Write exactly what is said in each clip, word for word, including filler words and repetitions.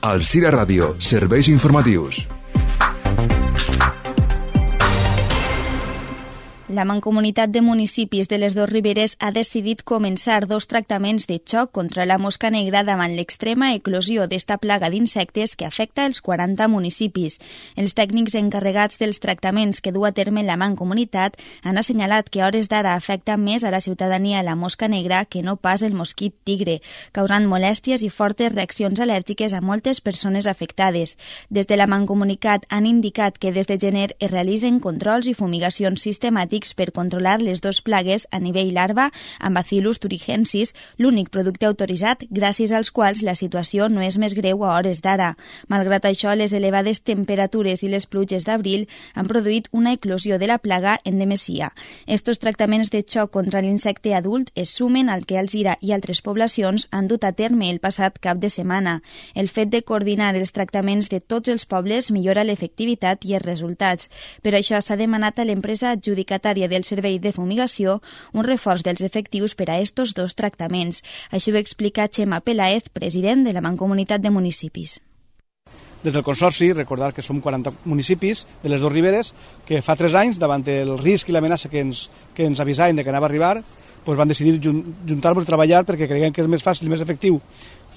Alzira Ràdio, serveis informatius. La Mancomunitat de Municipis de les Dos Riberes ha decidit començar dos tractaments de xoc contra la mosca negra davant l'extrema eclosió d'esta plaga d'insectes que afecta els quaranta municipis. Els tècnics encarregats dels tractaments que du a terme la Mancomunitat han assenyalat que a hores d'ara afecta més a la ciutadania la mosca negra que no pas el mosquit tigre, causant molèsties i fortes reaccions al·lèrgiques a moltes persones afectades. Des de la Mancomunitat han indicat que des de gener es realitzen controls i fumigacions sistemàtics per controlar les dues plagues a nivell larva amb Bacillus thuringiensis, l'únic producte autoritzat gràcies als quals la situació no és més greu a hores d'ara. Malgrat això, les elevades temperatures i les pluges d'abril han produït una eclosió de la plaga en demesia. Estos tractaments de xoc contra l'insecte adult es sumen al que Alzira i altres poblacions han dut a terme el passat cap de setmana. El fet de coordinar els tractaments de tots els pobles millora l'efectivitat i els resultats. Per això s'ha demanat a l'empresa adjudicatària del servei de fumigació un reforç dels efectius per a estos dos tractaments. Així ho explica Xema Peláez, president de la Mancomunitat de Municipis. Des del Consorci, recordar que som quaranta municipis de les Dos Riberes que fa tres anys, davant el risc i l'amenaça que ens, que ens avisaven de que anava a arribar, doncs van decidir juntar-nos a treballar perquè creiem que és més fàcil i més efectiu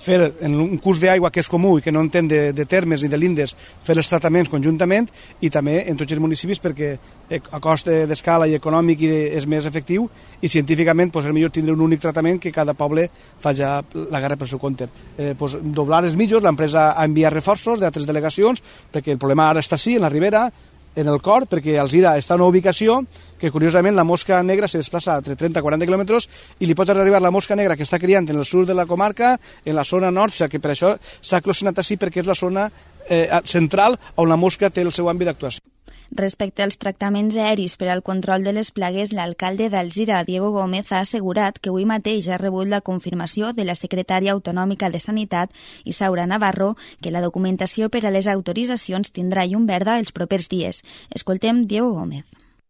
fer en un curs d'aigua que és comú i que no entén de, de termes ni de lindes, fer els tractaments conjuntament i també en tots els municipis perquè a cost d'escala i econòmic és més efectiu i científicament doncs, és millor tindre un únic tractament que cada poble fa ja la guerra pel seu compte. Eh, doncs, doblar els mitjos, l'empresa ha enviat reforços d'altres delegacions perquè el problema ara està sí, en la Ribera, en el cor, perquè Alzira està en una ubicació que curiosament la mosca negra se desplaça entre trenta a quaranta quilòmetres i li pot arribar la mosca negra que està criant en el sud de la comarca, en la zona nord, o sigui que per això s'ha eclosionat així perquè és la zona eh, central on la mosca té el seu àmbit d'actuació. Respecte als tractaments aeris per al control de les plagues, l'alcalde d'Alzira, Diego Gómez, ha assegurat que avui mateix ha rebut la confirmació de la secretària autonòmica de Sanitat, Isaura Navarro, que la documentació per a les autoritzacions tindrà llum verda els propers dies. Escoltem Diego Gómez.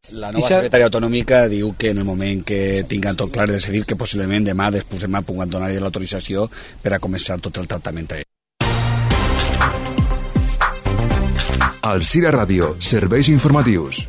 La nova secretària autonòmica diu que en el moment que tinguin tot clar de decidir que possiblement demà, després demà, puguen donar l'autorització per a començar tot el tractament aeri. Alzira Ràdio, serveis informatius.